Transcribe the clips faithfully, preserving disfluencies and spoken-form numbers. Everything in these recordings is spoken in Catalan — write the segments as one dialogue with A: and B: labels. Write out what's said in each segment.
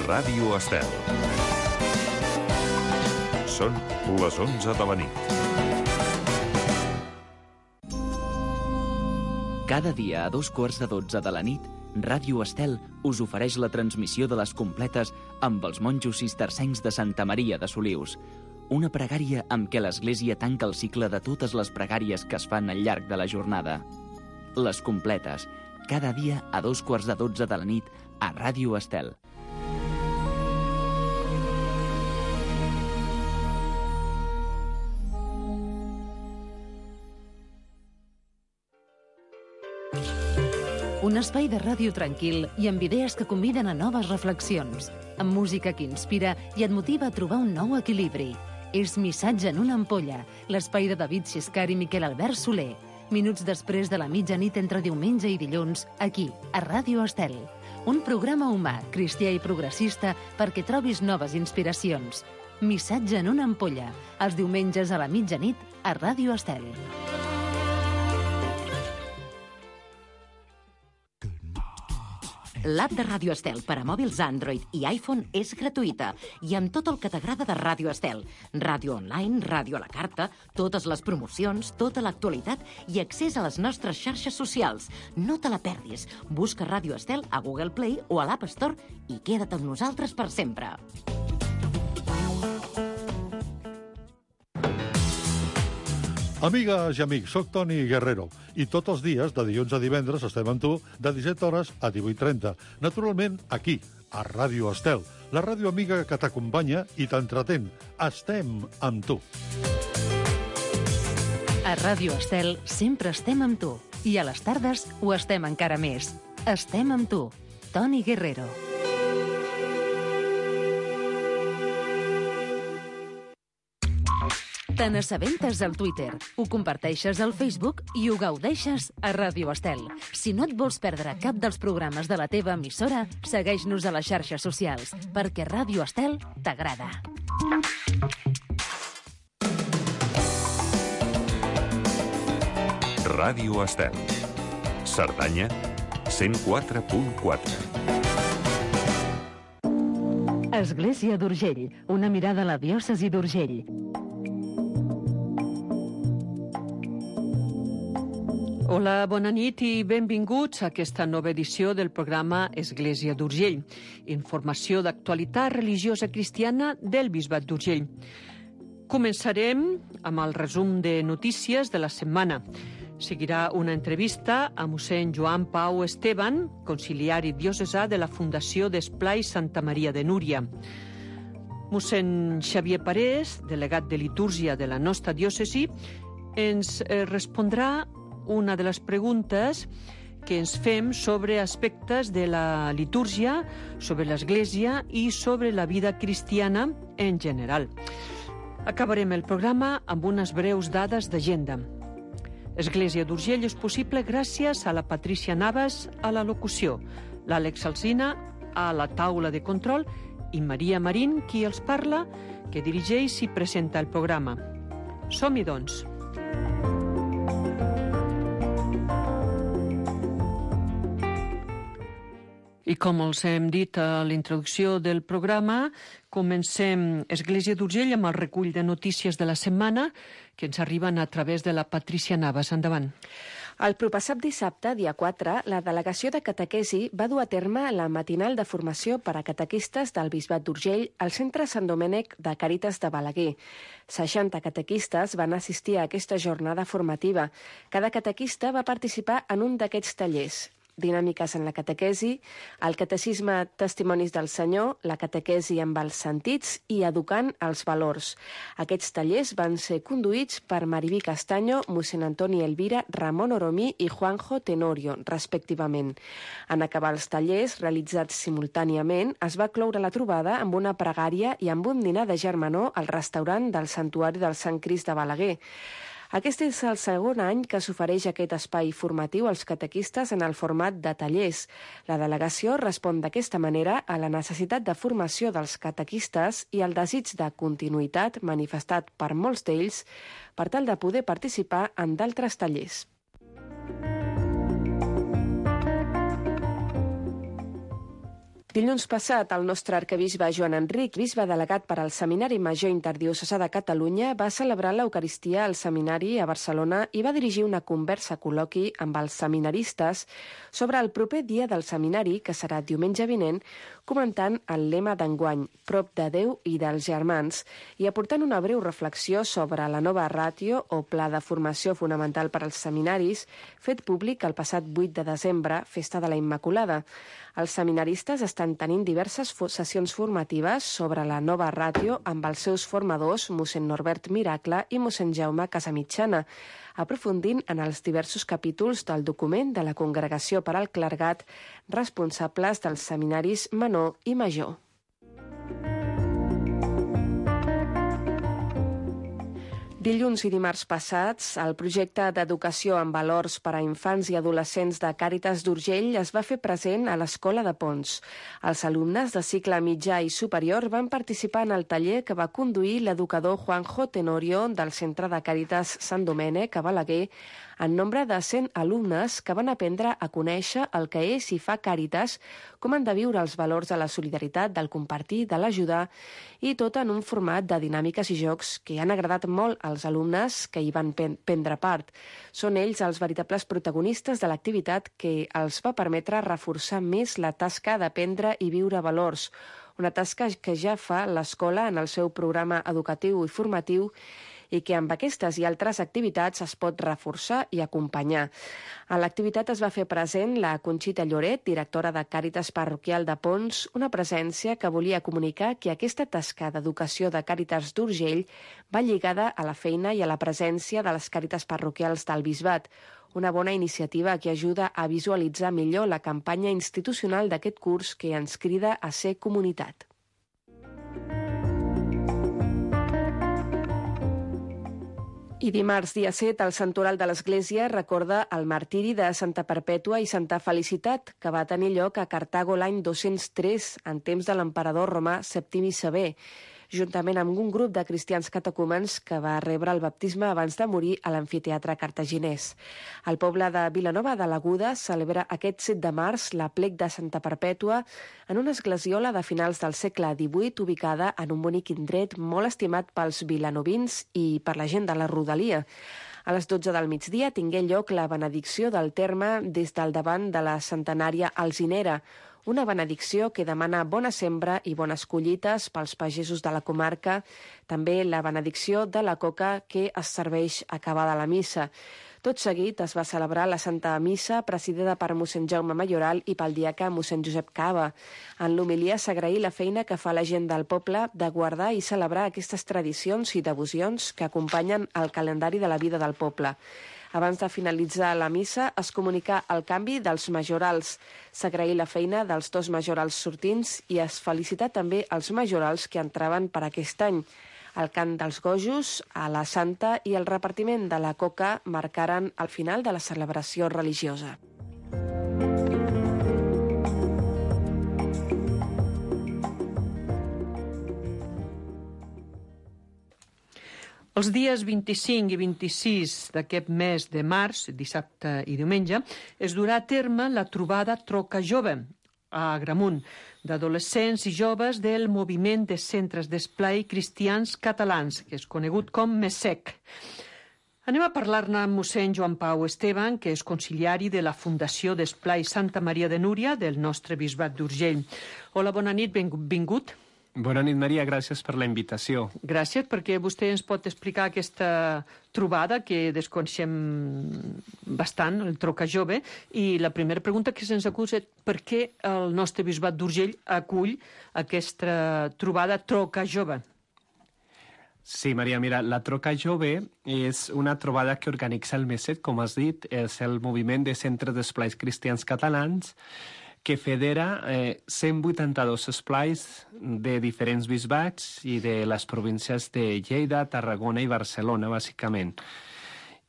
A: Ràdio Estel. Són les onze de la nit.
B: Cada dia a dos quarts de dotze de la nit, Ràdio Estel us ofereix la transmissió de les completes amb els monjos cistercencs de Santa Maria de Solius. Una pregària amb què l'Església tanca el cicle de totes les pregàries que es fan al llarg de la jornada. Les completes, cada dia a dos quarts de dotze de la nit a Ràdio Estel.
C: Un espai de ràdio tranquil i amb idees que conviden a noves reflexions, amb música que inspira i et motiva a trobar un nou equilibri. És Missatge en una ampolla, l'espai de David Xiscar i Miquel Albert Soler. Minuts després de la mitjanit entre diumenge i dilluns, aquí, a Ràdio Estel. Un programa humà, cristià i progressista perquè trobis noves inspiracions. Missatge en una ampolla, els diumenges a la mitjanit a Ràdio Estel.
D: L'app de Ràdio Estel per a mòbils Android i iPhone és gratuïta i amb tot el que t'agrada de Ràdio Estel. Ràdio online, ràdio a la carta, totes les promocions, tota l'actualitat i accés a les nostres xarxes socials. No te la perdis. Busca Ràdio Estel a Google Play o a l'App Store i queda't amb nosaltres per sempre.
E: Amigues i amics, soc Toni Guerrero i tots els dies, de dilluns a divendres, estem amb tu de disset hores a divuit trenta. Naturalment, aquí, a Ràdio Estel, la ràdio amiga que t'acompanya i t'entretén. Estem amb tu.
C: A Ràdio Estel sempre estem amb tu i a les tardes ho estem encara més. Estem amb tu, Toni Guerrero. Te n'assabentes al Twitter, ho comparteixes al Facebook i ho gaudeixes a Ràdio Estel. Si no et vols perdre cap dels programes de la teva emissora, segueix-nos a les xarxes socials, perquè Ràdio Estel t'agrada.
A: Ràdio Estel. Cerdanya, cent quatre punt quatre.
C: Església d'Urgell, una mirada a la diòcesi d'Urgell.
F: Hola, bona nit i benvinguts a aquesta nova edició del programa Església d'Urgell, informació d'actualitat religiosa cristiana del Bisbat d'Urgell. Començarem amb el resum de notícies de la setmana. Seguirà una entrevista a mossèn Joan Pau Esteban, conciliari diocesà de la Fundació d'Esplai Santa Maria de Núria. Mossèn Xavier Parés, delegat de litúrgia de la nostra diòcesi, ens respondrà una de les preguntes que ens fem sobre aspectes de la litúrgia, sobre l'Església i sobre la vida cristiana en general. Acabarem el programa amb unes breus dades d'agenda. Església d'Urgell és possible gràcies a la Patrícia Navas a la locució, l'Àlex Alsina a la taula de control i Maria Marín, qui els parla, que dirigeix i presenta el programa. Som-hi, doncs. I com els hem dit a l'introducció del programa, comencem Església d'Urgell amb el recull de notícies de la setmana que ens arriben a través de la Patrícia Navas. Endavant.
G: El propassat dissabte, dia quatre, la delegació de catequesi va dur a terme la matinal de formació per a catequistes del Bisbat d'Urgell al Centre Sant Domènec de Càritas de Balaguer. seixanta catequistes van assistir a aquesta jornada formativa. Cada catequista va participar en un d'aquests tallers. Dinàmiques en la catequesi, el catecisme Testimonis del Senyor, la catequesi amb els sentits i educant els valors. Aquests tallers van ser conduïts per Mariví Castaño, mossèn Antoni Elvira, Ramon Oromí i Juanjo Tenorio, respectivament. En acabar els tallers, realitzats simultàniament, es va cloure la trobada amb una pregària i amb un dinar de germanor al restaurant del Santuari del Sant Crist de Balaguer. Aquest és el segon any que s'ofereix aquest espai formatiu als catequistes en el format de tallers. La delegació respon d'aquesta manera a la necessitat de formació dels catequistes i al desig de continuïtat manifestat per molts d'ells per tal de poder participar en d'altres tallers. Dilluns passat, el nostre arquebisbe Joan Enric, bisbe delegat per al Seminari Major Interdiocesà de Catalunya, va celebrar l'Eucaristia al seminari a Barcelona i va dirigir una conversa col·loqui amb els seminaristes sobre el proper dia del seminari, que serà diumenge vinent, comentant el lema d'enguany, prop de Déu i dels germans, i aportant una breu reflexió sobre la nova ràtio o pla de formació fonamental per als seminaris, fet públic el passat vuit de desembre, festa de la Immaculada. Els seminaristes estan tenint diverses sessions formatives sobre la nova ràtio amb els seus formadors, mossèn Norbert Miracle i mossèn Jaume Casamitjana, aprofundint en els diversos capítols del document de la Congregació per al Clergat responsables dels seminaris menor i major. Dilluns i dimarts passats, el projecte d'educació en valors per a infants i adolescents de Càritas d'Urgell es va fer present a l'Escola de Pons. Els alumnes de cicle mitjà i superior van participar en el taller que va conduir l'educador Juanjo Tenorio del Centre de Càritas Sant Domènec a Balaguer, en nombre de cent alumnes que van aprendre a conèixer el que és i fa Càritas, com han de viure els valors de la solidaritat, del compartir, de l'ajudar, i tot en un format de dinàmiques i jocs que han agradat molt als alumnes que hi van prendre part. Són ells els veritables protagonistes de l'activitat que els va permetre reforçar més la tasca d'aprendre i viure valors, una tasca que ja fa l'escola en el seu programa educatiu i formatiu i que amb aquestes i altres activitats es pot reforçar i acompanyar. A l'activitat es va fer present la Conxita Lloret, directora de Càritas Parroquial de Pons, una presència que volia comunicar que aquesta tasca d'educació de Càritas d'Urgell va lligada a la feina i a la presència de les Càritas parroquials del Bisbat, una bona iniciativa que ajuda a visualitzar millor la campanya institucional d'aquest curs que ens crida a ser comunitat. I dimarts, dia set, el Santoral de l'Església recorda el martiri de Santa Perpètua i Santa Felicitat, que va tenir lloc a Cartago l'any dos-cents tres, en temps de l'emperador romà Septimi Sever, juntament amb un grup de cristians catecúmens que va rebre el baptisme abans de morir a l'amfiteatre cartaginès. El poble de Vilanova de l'Aguda celebra aquest set de març l'aplec de Santa Perpètua en una esglesiola de finals del segle divuit ubicada en un bonic indret molt estimat pels vilanovins i per la gent de la rodalia. A les dotze del migdia tingué lloc la benedicció del terme des del davant de la centenària Alzinera, una benedicció que demana bona sembra i bones collites pels pagesos de la comarca, també la benedicció de la coca que es serveix acabada la missa. Tot seguit es va celebrar la Santa Missa presidida per mossèn Jaume Mayoral i pel diaca mossèn Josep Cava. En l'homilia s'agraí la feina que fa la gent del poble de guardar i celebrar aquestes tradicions i devocions que acompanyen el calendari de la vida del poble. Abans de finalitzar la missa, es comunicà el canvi dels majorals. S'agraí la feina dels dos majorals sortints i es felicità també els majorals que entraven per aquest any. El cant dels gojos, a la Santa i el repartiment de la coca marcaren el final de la celebració religiosa.
F: Els dies vint-i-cinc i vint-i-sis d'aquest mes de març, dissabte i diumenge, es durà a terme la trobada Troca Jove a Agramunt, d'adolescents i joves del moviment de centres d'esplai cristians catalans, que és conegut com MESEC. Anem a parlar-ne amb mossèn Joan Pau Esteban, que és conciliari de la Fundació d'Esplai Santa Maria de Núria del nostre bisbat d'Urgell. Hola, bona nit, benvingut.
H: Bona nit, Maria, gràcies per la invitació.
F: Gràcies, perquè vostè ens pot explicar aquesta trobada que desconeixem bastant, el Troca Jove, i la primera pregunta que se'ns acusa és per què el nostre bisbat d'Urgell acull aquesta trobada Troca Jove?
H: Sí, Maria, mira, la Troca Jove és una trobada que organitza el MESEC, com has dit, és el moviment de centres d'esplais cristians catalans, que federa eh, cent vuitanta-dos esplais de diferents bisbats i de les províncies de Lleida, Tarragona i Barcelona, bàsicament.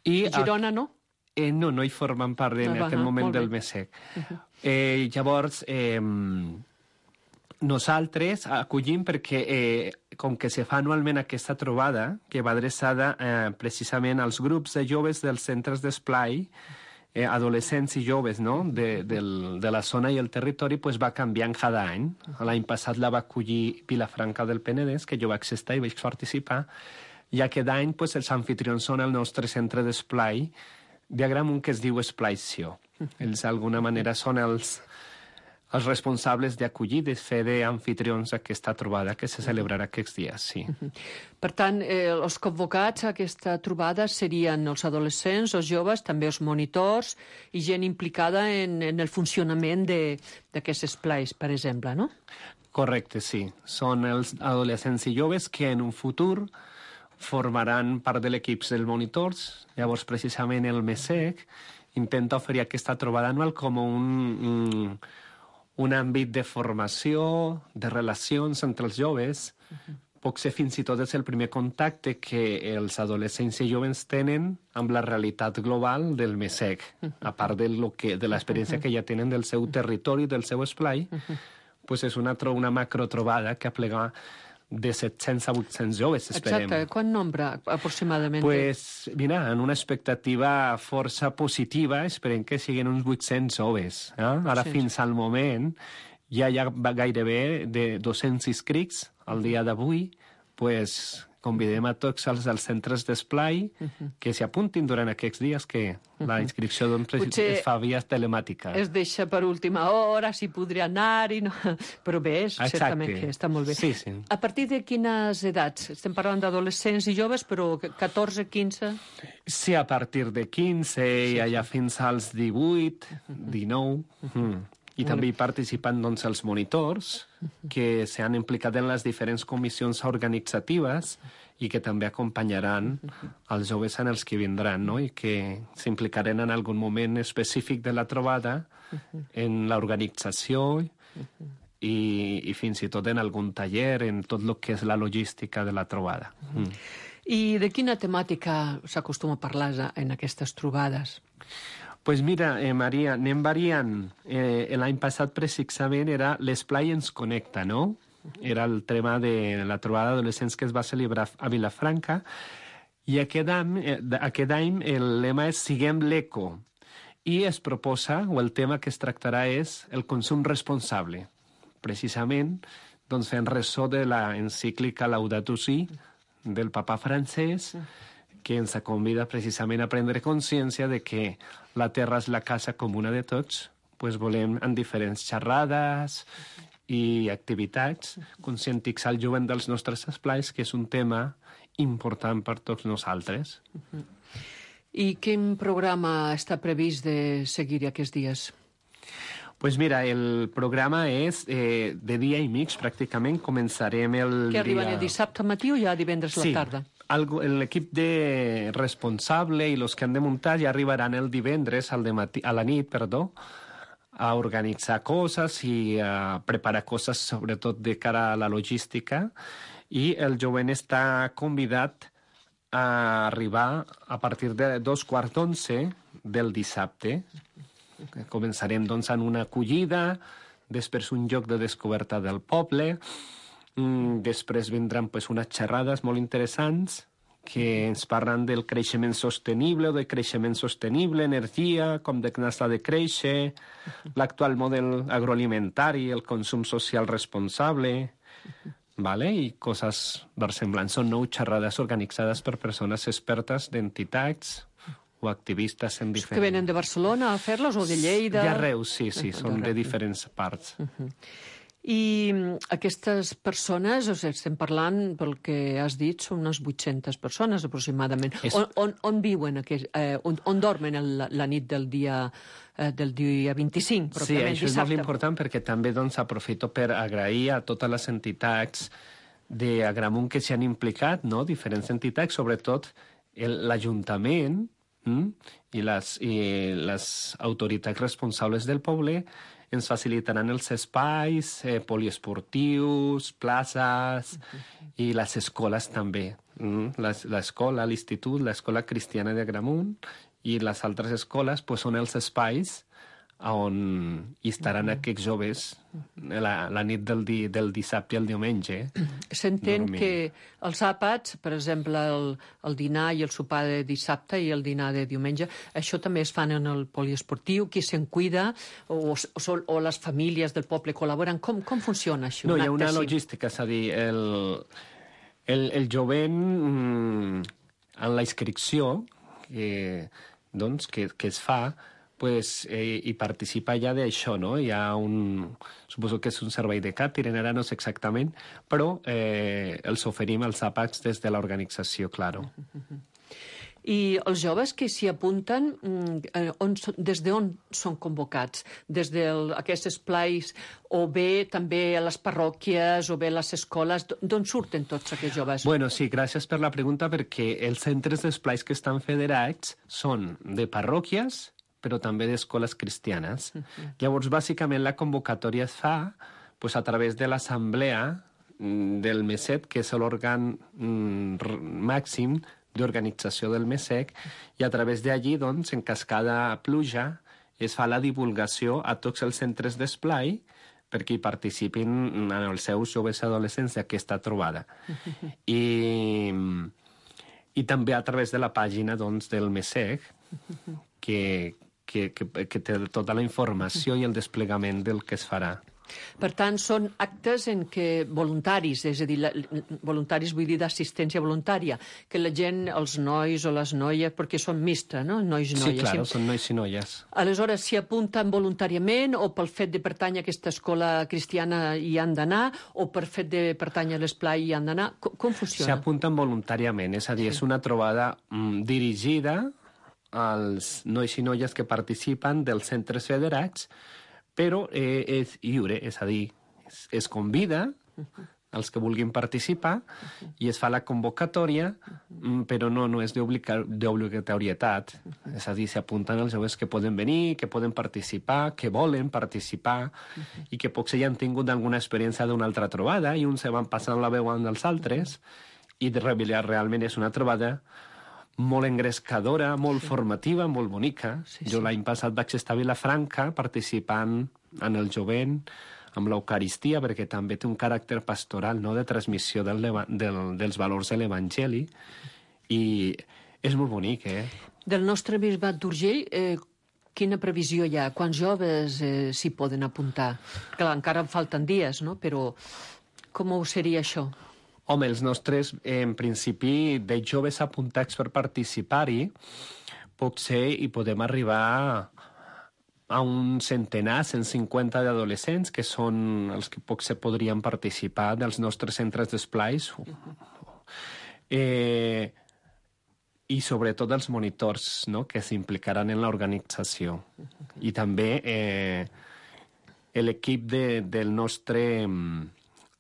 F: I Girona, no?
H: Eh, no, no hi formen part en
F: ah,
H: aquest
F: ah,
H: moment del MESEC. Uh-huh. eh, llavors, eh, nosaltres acollim perquè, eh, com que se fa anualment aquesta trobada, que va adreçada eh, precisament als grups de joves dels centres d'esplai, eh, adolescents i joves, no?, de, del, de la zona i el territori, pues, va canviant cada any. L'any passat la va acollir Vilafranca del Penedès, que jo vaig estar i vaig participar, i aquest any pues, els anfitrions són el nostre centre d'esplai d'Agramunt, que es diu Esplai Sió. Ells d'alguna manera són els, els responsables d'acollir, de fer d'anfitrions aquesta trobada que se celebrarà aquests dies, sí.
F: Per tant, eh, els convocats a aquesta trobada serien els adolescents, els joves, també els monitors i gent implicada en, en el funcionament d'aquests esplais, per exemple, no?
H: Correcte, sí. Són els adolescents i joves que en un futur formaran part de l'equip dels monitors. Llavors, precisament, el MESEC intenta oferir aquesta trobada anual com un, un, un àmbit de formació, de relacions entre els joves. Uh-huh. Pot ser fins i tot és el primer contacte que els adolescents i joves tenen amb la realitat global del MESEC, uh-huh. a part de, lo que, de l'experiència uh-huh. que ja tenen del seu territori, del seu esplai, uh-huh. pues és una, tro, una macrotrobada que aplega de set-cents a vuit-cents joves, esperem.
F: Exacte. Quant nombre, aproximadament?
H: Pues, mira, en una expectativa força positiva, esperem que siguin uns vuit-cents joves. Eh? Ara, sí. Fins al moment, ja hi ha gairebé de dos-cents inscrits al dia d'avui, pues, convidem a tots els, els centres d'esplai uh-huh. que s'hi apuntin durant aquests dies, que uh-huh. la inscripció doncs, es fa via telemàtica.
F: Es deixa per última hora, si podria anar-hi, no? Però bé, és, certament que està molt bé.
H: Sí, sí.
F: A partir de quines edats? Estem parlant d'adolescents i joves, però catorze, quinze?
H: Sí, a partir de quinze, sí, i allà fins als divuit, dinou... Uh-huh. Mm. I també hi participen doncs, els monitors, que s'han implicat en les diferents comissions organitzatives i que també acompanyaran els joves en els que vindran, no? I que s'implicaran en algun moment específic de la trobada en l'organització i, i fins i tot en algun taller, en tot el que és la logística de la trobada. Mm.
F: I de quina temàtica s'acostuma a parlar en aquestes trobades?
H: Pues mira, eh, Maria, anem variant. Eh, L'any passat, precisament, era l'Esplai ens connecta, no? Era el tema de la trobada d'adolescents que es va celebrar a Vilafranca. I aquest any, eh, aquest any el lema és Siguem l'Eco. I es proposa, o el tema que es tractarà és el consum responsable. Precisament, doncs, fent ressò de la encíclica Laudato Si del papa francès, que ens convida precisament a prendre consciència de que la terra és la casa comuna de tots, pues volem en diferents xerrades i activitats conscientitzar el jovent dels nostres esplais, que és un tema important per tots nosaltres.
F: Uh-huh. I quin programa està previst de seguir aquests dies?
H: Pues mira, el programa és eh, de dia i mig, pràcticament. Començarem el dia...
F: Que arriben el dissabte matí o ja divendres a
H: sí.
F: la tarda?
H: L'equip de responsable i els que han de muntar ja arribaran el divendres al dematí, a la nit, perdó, a organitzar coses i a preparar coses, sobretot de cara a la logística, i el jovent està convidat a arribar a partir de dos quarts d'onze del dissabte. Començarem, doncs, en una acollida, després un joc de descoberta del poble. Mm, després vindran pues, unes xerrades molt interessants que ens parlen del creixement sostenible o de creixement sostenible, energia, com de s'ha de créixer, l'actual model agroalimentari, el consum social responsable, vale? I coses versemblants. Són nou xerrades organitzades per persones expertes d'entitats o activistes en diferents...
F: Que venen de Barcelona a fer-los o de Lleida?
H: D'arreu, sí, sí, són de diferents parts.
F: Uh-huh. I aquestes persones, o sigui, estem parlant, pel que has dit, són unes vuit-centes persones aproximadament. És... On, on, on viuen, aquest, eh, on, on dormen el, la nit del dia, eh, del dia vint-i-cinc?
H: Sí, això dissabte. És molt important perquè també doncs, aprofito per agrair a totes les entitats d'Agramunt que s'hi han implicat, no? Diferents entitats, sobretot l'Ajuntament hm? i, les, i les autoritats responsables del poble ens facilitaran els espais eh, poliesportius, places uh-huh. i les escoles també. Mm? L'escola, l'institut, l'escola cristiana d'Agramunt i les altres escoles pues, són els espais on hi estaran aquests joves la, la nit del, di, del dissabte i el diumenge.
F: S'entén
H: dormint.
F: que els àpats, per exemple, el, el dinar i el sopar de dissabte i el dinar de diumenge, això també es fan en el poliesportiu, qui se'n cuida, o, o, o les famílies del poble col·laboren. Com, com funciona això?
H: No,
F: un
H: hi ha una
F: acte així?
H: logística, és a dir, el, el, el jovent mm, en la inscripció que, doncs, que, que es fa, pues, eh, hi participa ja d'això, no? Hi ha un... Suposo que és un servei de càtering, ara no sé exactament, però eh, els oferim els àpats des de l'organització, claro.
F: I els joves que s'hi apunten, on, des d'on són convocats? Des d'aquests esplais, o bé també a les parròquies, o bé a les escoles? D'on surten tots aquests joves?
H: Bueno, sí, gràcies per la pregunta, perquè els centres d'esplais que estan federats són de parròquies, però també d'escoles cristianes. Uh-huh. Llavors, bàsicament, la convocatòria es fa pues, a través de l'assemblea del M E S E C, que és l'òrgan mm, màxim d'organització del M E S E C, i a través d'allí, doncs, en cas cada pluja, es fa la divulgació a tots els centres d'esplai perquè hi participin en els seus joves adolescents d'aquesta trobada. I, i també a través de la pàgina, doncs, del M E S E C, que, que, que, que té tota la informació i el desplegament del que es farà.
F: Per tant, són actes en què voluntaris, és a dir, la, voluntaris vull dir d'assistència voluntària, que la gent, els nois o les noies, perquè són mixta, no? Nois i noies.
H: Sí, clar, són nois i noies.
F: Aleshores, s'hi apunten voluntàriament o pel fet de pertànyer a aquesta escola cristiana hi han d'anar o per fet de pertànyer a l'esplai hi han d'anar? Com, com funciona?
H: S'hi apunten voluntàriament, és a dir, sí. És una trobada mm, dirigida als nois i noies que participen dels centres federats, però eh, és lliure, és a dir, es, es convida els que vulguin participar i es fa la convocatòria, però no, no és d'obligatorietat. És a dir, s'apunten els joves que poden venir, que poden participar, que volen participar i que potser ja han tingut alguna experiència d'una altra trobada i uns se van passant la veu amb els altres i realment és una trobada molt engrescadora, molt sí. formativa, molt bonica. Sí, sí. Jo l'any passat vaig estar a Vilafranca participant en el jovent, amb l'Eucaristia, perquè també té un caràcter pastoral, no?, de transmissió del, del, dels valors de l'Evangeli, i és molt bonic, eh?
F: Del nostre bisbat d'Urgell, eh, quina previsió hi ha? Quants joves eh, s'hi poden apuntar? Clar, encara en falten dies, no?, però com ho seria això?
H: Home, els nostres, en principi, de joves apuntats per participar-hi, potser hi podem arribar a un centenar, cent cinquanta d'adolescents, que són els que potser podrien participar dels nostres centres d'esplais. Eh, I sobretot els monitors, no?, que s'implicaran en l'organització. I també eh, l'equip de, del nostre...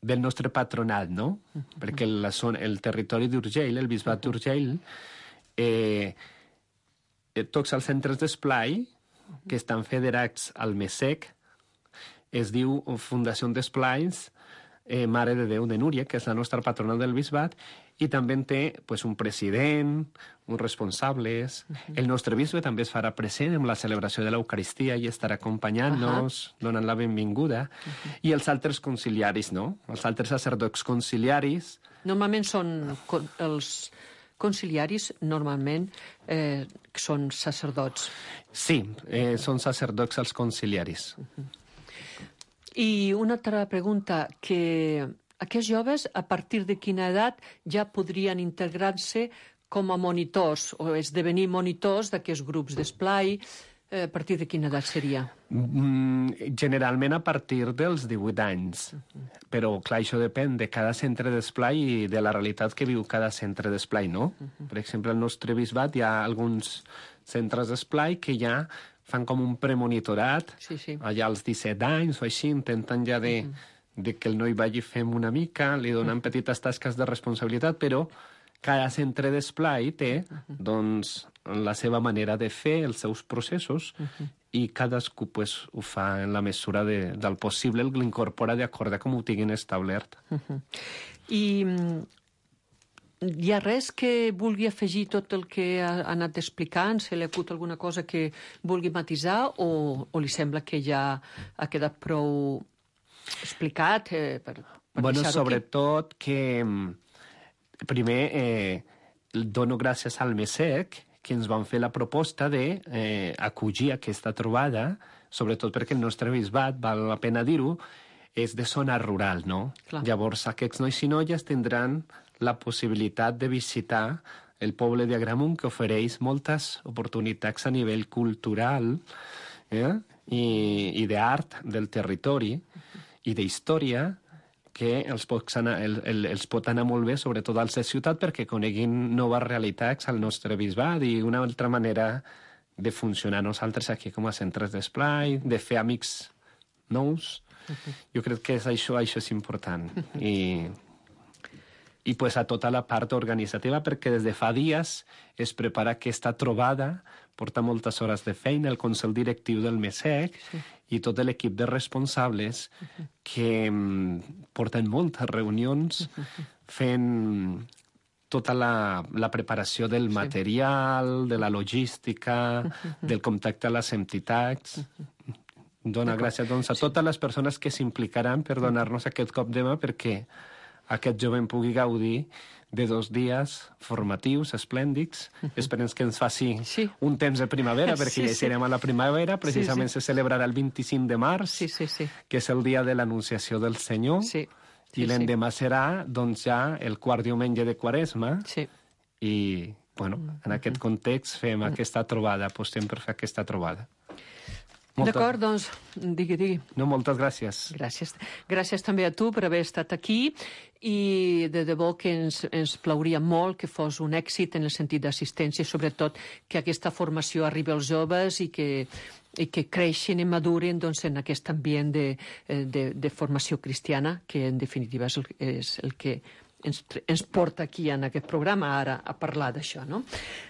H: del nostre patronat, no? Uh -huh. Perquè la zona, el territori d'Urgell, el bisbat d'Urgell, eh, tots els centres d'esplai que estan federats al M E S E C es diu Fundació d'Esplais eh, Mare de Déu de Núria, que és la nostra patronal del bisbat, i també en té pues, un president, uns responsables. Uh -huh. El nostre bisbe també es farà present en la celebració de l'Eucaristia i estarà acompanyant-nos, uh -huh. donant la benvinguda. Uh -huh. I els altres conciliaris, no? Els altres sacerdots conciliaris.
F: Normalment són els conciliaris, normalment eh, són sacerdots.
H: Sí, eh, són sacerdots els conciliaris.
F: Uh -huh. I una altra pregunta, que aquests joves, a partir de quina edat ja podrien integrar-se com a monitors o esdevenir monitors d'aquests grups d'esplai? Eh, a partir de quina edat seria?
H: Mm, generalment a partir dels divuit anys. Uh-huh. Però, clar, això depèn de cada centre d'esplai i de la realitat que viu cada centre d'esplai, no? Uh-huh. Per exemple, al nostre bisbat hi ha alguns centres d'esplai que ja fan com un premonitorat,
F: sí, sí.
H: allà als disset anys o així, intenten ja de... Uh-huh. de que el noi vagi fent una mica, li donen petites tasques de responsabilitat, però cada centre d'esplai té, doncs, la seva manera de fer, els seus processos, uh-huh. i cadascú pues, ho fa en la mesura de, del possible, l'incorpora d'acord com ho tinguin establert.
F: Uh-huh. I hi ha res que vulgui afegir tot el que ha anat explicant? Se li acut alguna cosa que vulgui matisar o, o li sembla que ja ha quedat prou explicat eh, per, per
H: bueno,
F: deixar-ho
H: sobretot aquí? Que primer eh, dono gràcies al MESEC que ens van fer la proposta de eh, acollir aquesta trobada, sobretot perquè el nostre bisbat, val la pena dir-ho, és de zona rural, no?
F: Clar.
H: Llavors aquests nois i noies tindran la possibilitat de visitar el poble d'Agramunt, que ofereix moltes oportunitats a nivell cultural eh? i, i d'art del territori i d'història, que els pot, anar, el, el, els pot anar molt bé, sobretot als de ciutat, perquè coneguin noves realitats al nostre bisbat i una altra manera de funcionar nosaltres aquí com a centres d'esplai, de fer amics nous. Jo crec que és això, això és important. I, i pues, a tota la part organitzativa, perquè des de fa dies es prepara aquesta trobada, porta moltes hores de feina, el Consell Directiu del MESEC sí. i tot l'equip de responsables que mm, porten moltes reunions fent tota la, la preparació del material, de la logística, del contacte a les entitats. Dona gràcies doncs, a totes les persones que s'implicaran per donar-nos aquest cop de mà perquè aquest jovent pugui gaudir de dos dies formatius esplèndids. Esperem que ens faci
F: sí.
H: un temps de primavera, perquè
F: sí,
H: ja serem sí. a la primavera. Precisament sí, sí. se celebrarà el vint-i-cinc de març,
F: sí, sí, sí.
H: que és el dia de l'Anunciació del Senyor.
F: Sí. Sí,
H: I l'endemà sí. serà doncs, ja el quart diumenge de Quaresma.
F: Sí.
H: I, bueno, en aquest context fem aquesta trobada, apostem per fer aquesta trobada.
F: Moltes... D'acord, doncs, digui, digui.
H: No, moltes gràcies.
F: Gràcies. Gràcies també a tu per haver estat aquí i de debò que ens, ens plauria molt que fos un èxit en el sentit d'assistència i sobretot que aquesta formació arribi als joves i que, i que creixin i madurin doncs, en aquest ambient de, de, de formació cristiana que en definitiva és el, és el que ens, ens porta aquí en aquest programa ara a parlar d'això, no?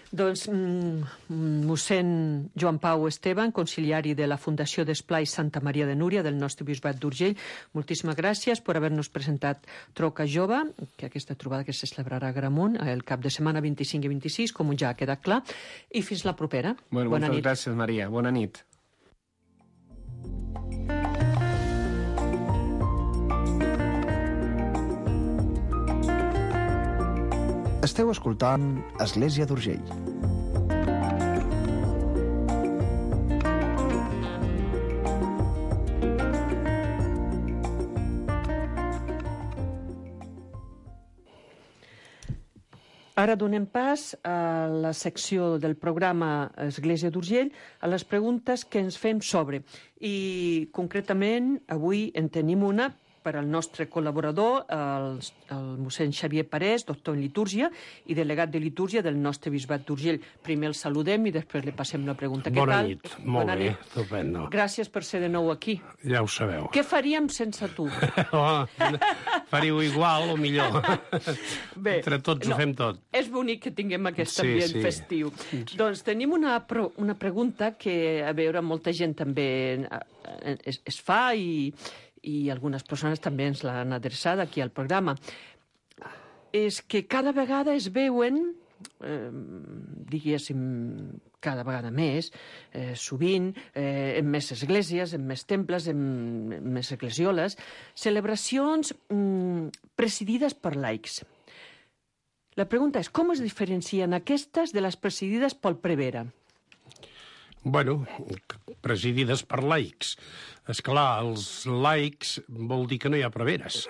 F: Doncs mm, mossèn Joan Pau Esteban, conciliari de la Fundació d'Esplai Santa Maria de Núria del nostre bisbat d'Urgell, moltíssimes gràcies per haver-nos presentat Troca Jove, que aquesta trobada que se celebrarà a Agramunt el cap de setmana vint-i-cinc i vint-i-sis, com ja ha quedat clar, i fins la propera.
H: Bueno,
F: Bona
H: moltes
F: nit.
H: gràcies, Maria. Bona nit.
I: Esteu escoltant Església d'Urgell.
F: Ara donem pas a la secció del programa Església d'Urgell, a les preguntes que ens fem sobre. I concretament avui en tenim una per al nostre col·laborador, el, el mossèn Xavier Parés, doctor en litúrgia i delegat de litúrgia del nostre bisbat d'Urgell. Primer el saludem i després li passem la pregunta. Què
J: Bona
F: tal?
J: nit, molt
F: Bona
J: bé,
F: nit.
J: estupendo.
F: Gràcies per ser de nou aquí.
J: Ja ho sabeu.
F: Què faríem sense tu?
J: Oh, faríeu igual o millor.
F: Bé,
J: Entre tots
F: no,
J: ho fem tot.
F: És bonic que tinguem aquest
J: Sí,
F: ambient
J: sí.
F: festiu. Doncs tenim una, pro, una pregunta que, a veure, molta gent també eh, es, es fa i, i algunes persones també ens l'han adreçada aquí al programa. És que cada vegada es veuen, eh, diguéssim, cada vegada més, eh, sovint, eh, en més esglésies, en més temples, en, en més eclesioles, celebracions mm, presidides per laics. La pregunta és, com es diferencien aquestes de les presidides pel prevere?
J: Bueno, presidides per laics. És clar, els laics vol dir que no hi ha preveres.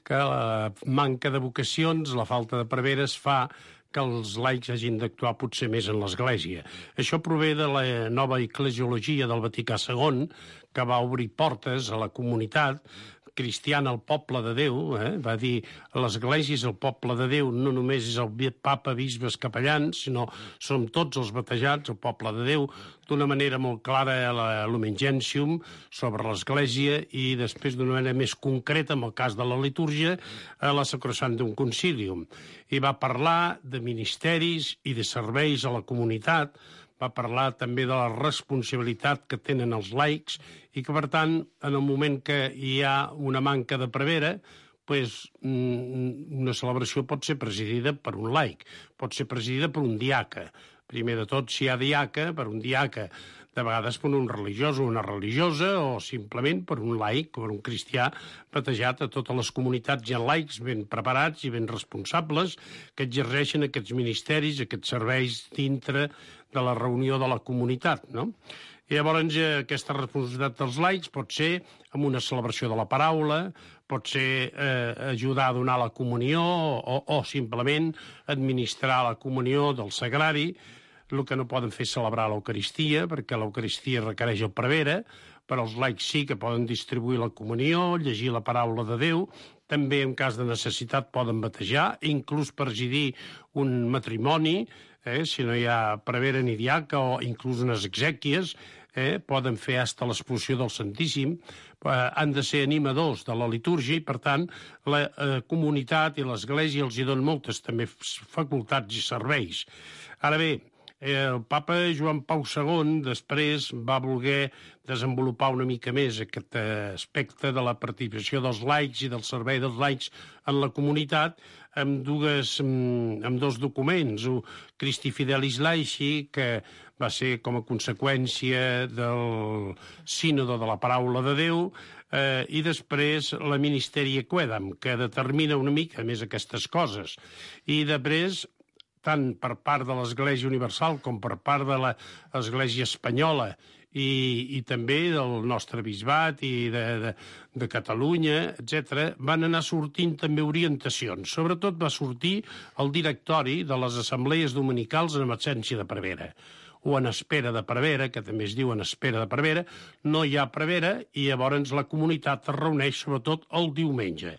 J: Que la manca de vocacions, la falta de preveres fa que els laics hagin d'actuar potser més en l'Església. Això prové de la nova eclesiologia del Vaticà segon, que va obrir portes a la comunitat cristiana, al poble de Déu, eh? Va dir l'Església és el poble de Déu, no només és el papa, bisbes, capellans, sinó som tots els batejats, el poble de Déu, d'una manera molt clara a la Lumen Gentium sobre l'Església i després d'una manera més concreta, en el cas de la litúrgia, a la Sacrosanctum Concilium. I va parlar de ministeris i de serveis a la comunitat, va parlar també de la responsabilitat que tenen els laics i que, per tant, en el moment que hi ha una manca de prevere, pues, una celebració pot ser presidida per un laic, pot ser presidida per un diaca. Primer de tot, si hi ha diaca, per un diaca, de vegades per un religiós o una religiosa, o simplement per un laic, per un cristià batejat. A totes les comunitats hi ha laics ben preparats i ben responsables que exerceixen aquests ministeris, aquests serveis dintre de la reunió de la comunitat, no? I llavors aquesta responsabilitat dels laics pot ser amb una celebració de la paraula, pot ser eh, ajudar a donar la comunió o, o simplement administrar la comunió del sagrari. El que no poden fer és celebrar l'Eucaristia, perquè l'Eucaristia requereix el prevere, però els laics sí que poden distribuir la comunió, llegir la paraula de Déu, també en cas de necessitat poden batejar, inclús presidir un matrimoni, eh, si no hi ha prevere ni diaca, o inclús unes exèquies, eh, poden fer hasta l'expulsió del Santíssim, eh, han de ser animadors de la litúrgia i, per tant, la eh, comunitat i l'Església els hi donen moltes també facultats i serveis. Ara bé, el papa Joan Pau segon després va voler desenvolupar una mica més aquest aspecte de la participació dels laics i del servei dels laics en la comunitat amb, dues, amb dos documents. Un Christi Fidelis Laici, que va ser com a conseqüència del sínodo de la paraula de Déu, eh, i després la Ministeri Quaedam, que determina una mica més aquestes coses. I després, tant per part de l'Església Universal com per part de l'Església Espanyola i, i també del nostre bisbat i de, de, de Catalunya, etcètera, van anar sortint també orientacions. Sobretot va sortir el directori de les assemblees dominicals en absència de prevere, o en espera de prevere, que també es diu en espera de prevere. No hi ha prevere i llavors la comunitat es reuneix sobretot el diumenge.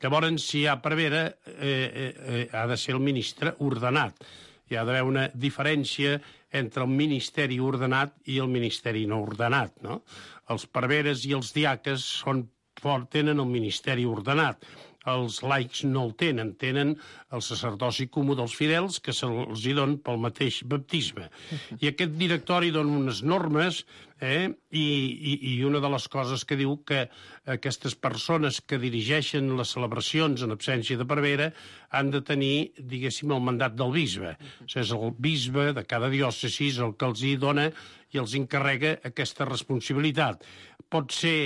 J: Llavors, si hi ha prevere, eh, eh, ha de ser el ministre ordenat. Hi ha d'haver una diferència entre el ministeri ordenat i el ministeri no ordenat, no? Els preveres i els diaques són, tenen el ministeri ordenat. Els laics no el tenen, tenen el sacerdoci comú dels fidels que se'ls hi don pel mateix baptisme. I aquest directori dona unes normes, eh, i, i, i una de les coses que diu que aquestes persones que dirigeixen les celebracions en absència de prevere han de tenir, diguéssim, el mandat del bisbe. O sigui, és el bisbe de cada diòcesi el que els hi dona i els encarrega aquesta responsabilitat. Pot ser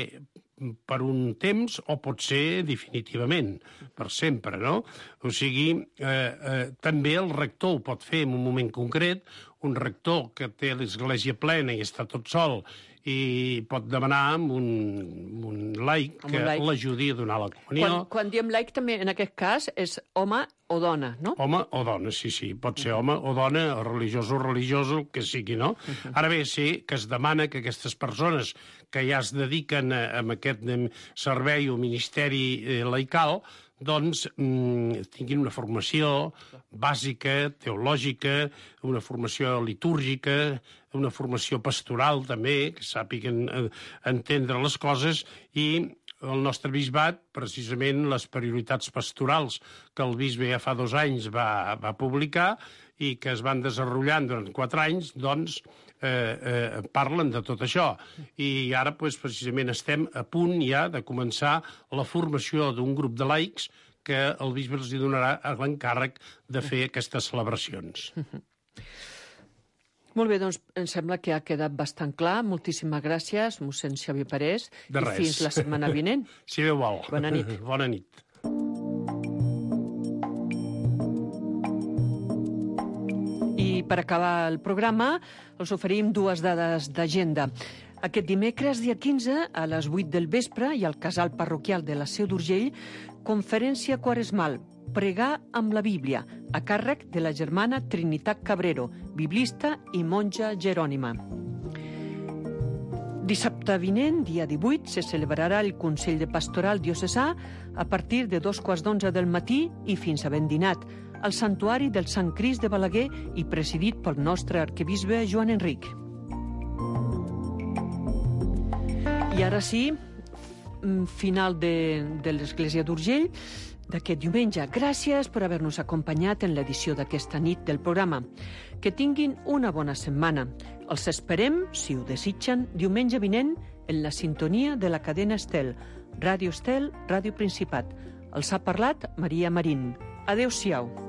J: per un temps o pot ser definitivament, per sempre, no? O sigui, eh, eh, també el rector ho pot fer en un moment concret, un rector que té l'església plena i està tot sol i pot demanar amb un, un laic que l'ajudi a donar la comunió.
F: Quan, quan diem laic també, en aquest cas, és home o dona, no?
J: Home o dona, sí, sí. Pot ser home o dona, o religiós o religiós, el que sigui, no? Uh-huh. Ara bé, sí que es demana que aquestes persones que ja es dediquen a, a aquest servei o ministeri eh, laical, doncs mm, tinguin una formació bàsica, teològica, una formació litúrgica, una formació pastoral també, que sàpiguen entendre les coses, i el nostre bisbat, precisament les prioritats pastorals que el bisbe ja fa dos anys va, va publicar i que es van desenvolupant durant quatre anys, doncs eh, eh, parlen de tot això. I ara, doncs, precisament, estem a punt ja de començar la formació d'un grup de laics que el bisbe els donarà l'encàrrec de fer aquestes celebracions.
F: Molt bé, doncs em sembla que ha quedat bastant clar. Moltíssimes gràcies, mossèn Xavier Parés.
J: De res.
F: I fins la setmana vinent.
J: Si Déu vol.
F: Bona nit.
J: Bona nit.
F: I per acabar el programa, us oferim dues dades d'agenda. Aquest dimecres, dia quinze, a les vuit del vespre, i al casal parroquial de la Seu d'Urgell, conferència quaresmal, Pregar amb la Bíblia, a càrrec de la germana Trinitat Cabrero, biblista i monja jerònima. Dissabte vinent, dia divuit, se celebrarà el Consell de Pastoral Diocesà a partir de dos quarts d'onze del matí i fins a ben dinat, al Santuari del Sant Crist de Balaguer i presidit pel nostre arquebisbe Joan Enric. I ara sí, final de, de l'Església d'Urgell d'aquest diumenge. Gràcies per haver-nos acompanyat en l'edició d'aquesta nit del programa. Que tinguin una bona setmana. Els esperem, si ho desitgen, diumenge vinent en la sintonia de la cadena Estel, Ràdio Estel, Ràdio Principat. Els ha parlat Maria Marín. Adéu-siau.